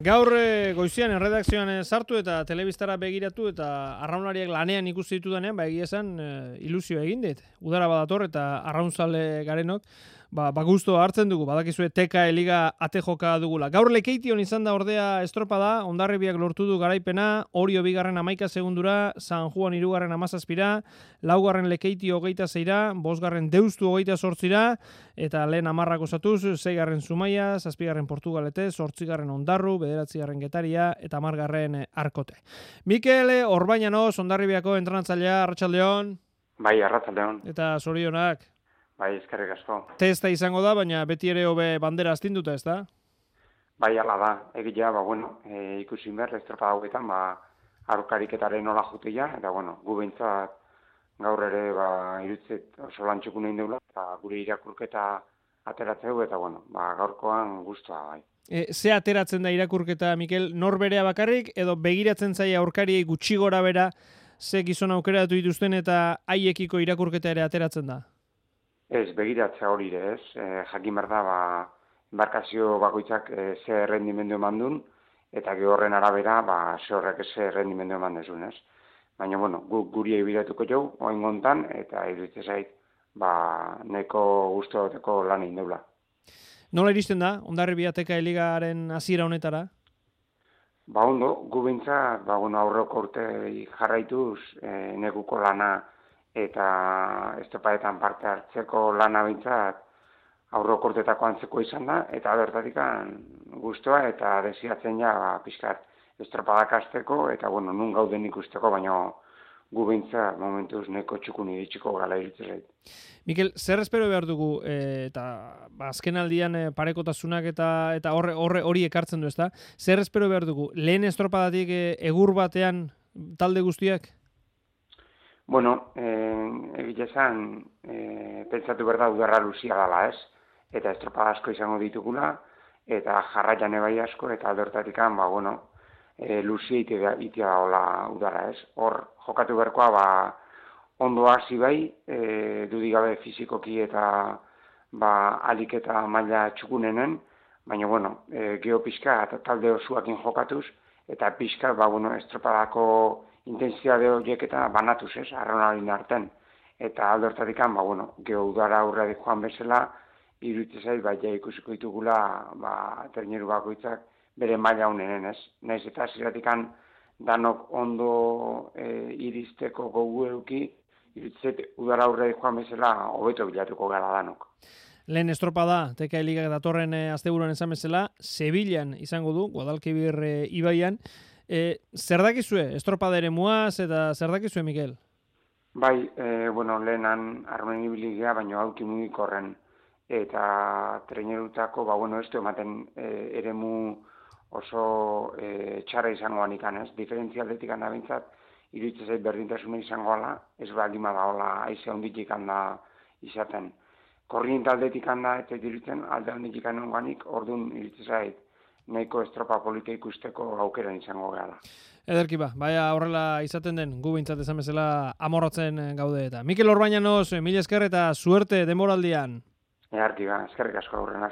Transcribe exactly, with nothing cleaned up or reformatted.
Gaur e, goizian erredakzioan e, sartu eta telebistara begiratu eta arraunlariak lanean ikusi ditudanean, ba egia esan e, ilusio egin dit. Udara badator eta arraunzale garenok, ba, ba gusto hartzen dugu, badakizue T K E Liga ate joka dugula. Gaur Lekeition izan da ordea estropada, Hondarribiak lortu du garaipena, Orio bigarren amaika segundura, San Juan hirugarren hamazazpira, laugarren Lekeitio hogeita zeira, bosgarren Deustu hogeita sortzira, eta lehen hamarrak osatuz, seigarren Zumaia, zazpigarren Portugalete, zortzigarren Hondarru, bederatzigarren Getaria eta hamargarren Arkote. Mikel Orbañanos, Hondarribiako entrenatzailea, arratsaldeon. Bai, arratsaldeon. Eta zorionak. Bai, eskerrik asko. Testa izango da, baina beti ere hobe bandera astinduta, ez da? Bai, ala da. Egia, ba, bueno, e, ikusi behar, estropada hauetan, ba, aurkariketaren nola jutia, eta, bueno, gu behintzat gaur ere, ba, irutzet oso lantxukun egin deula, eta gure irakurketa ateratzeu, eta, bueno, ba, gaurkoan guztua, bai. E, ze ateratzen da irakurketa, Mikel, nor berea bakarrik, edo begiratzen zaia aurkariei gutxi gora bera, ze gizon aukeratu dituzten eta haiekiko irakurketa ere ateratzen da? Ez, begiratzea hori ere, ez. E, jakin behar da, ba, embarkazio bakoitzak e, ze rendimendu eman duen, eta gehorren arabera, ba, ze horrek ze rendimendu eman dezun, ez. Baina, bueno, gu, guri egibiratuko jau, oain gontan, eta iruditzen zait, ba, neko guztoteko lan egin deula. Nola iristen da, Hondarribia T K E Ligaren hasiera honetara? Ba, ondo, gu behintzat, ba, bueno, aurreko urte jarraituz, e, nekuko lana, eta estropadetan parte hartzeko lana bintzat aurreko urtetako antzeko izan da, eta bertatik guztua eta desiatzen ja ba, pixkat estropadak azteko, eta bueno, nun gauden ikusteko, baina gu bintzat momentuz neko txukun iritsiko gala irutzen zait. Mikel, zer espero behar dugu, e, eta ba, azken aldian e, parekotasunak eta eta horre, horre hori ekartzen du, ezta? Zer espero behar dugu, lehen estropadatik e, egur batean talde guztiak? Bueno, egia esan, e, pentsatu behar da udarra luzia dela, ez? Eta estropada asko izango ditugula, eta jarraian ebai asko, eta aldortatik ba, bueno, e, luzia itea da hola udarra, ez? Hor, jokatu berkoa, ba, ondo hasi bai, e, dudigabe fizikoki eta ba, alik eta maila txukunenen, baina, bueno, e, geho pixka eta talde osuakin jokatuz, eta pixka, ba, bueno, estropadako intensitate horiek eta banatuz, ez, arraunaren arten. Eta aldortatik, ba, bueno, geho udara aurretik joan bezala, iruditzen zait, ba, ja ikusiko ditugula, ba, terneru bakoitzak bere maila honenen, ez. Naiz eta ziratik danok ondo e, iristeko gogu eduki, iruditzen zait, udara aurretik joan bezala, hobeto bilatuko gara danok. Lehen estropada, T K E Ligak datorren e, asteburuan esan bezala, Sevillan izango du, Guadalquivir e, ibaian. E, zer dakizue, estropada ere muaz, eta zer dakizue, Mikel? Bai, e, bueno, lehenan armen ibiligea, baina hauki mugikorren eta trenerutako, ba, bueno, ez du ematen e, eremu oso e, txarra izango anikan, ez? Diferentzialdetik handa bintzat, iruditzen zait berdintasuna izango ala, ez baldima da hola aize honditik handa izaten. Korriente aldetik handa eta iruditzen alde honditik hanonganik, orduan iruditzen zait, nahiko estropa polita ikusteko aukeran izango gara. Ederki ba, baina horrela izaten den, gu bintzat esan bezala amorratzen gaude eta. Mikel Orbañanos, mila esker eta suerte demoraldian. Earki ba, eskerrik asko aurren arte.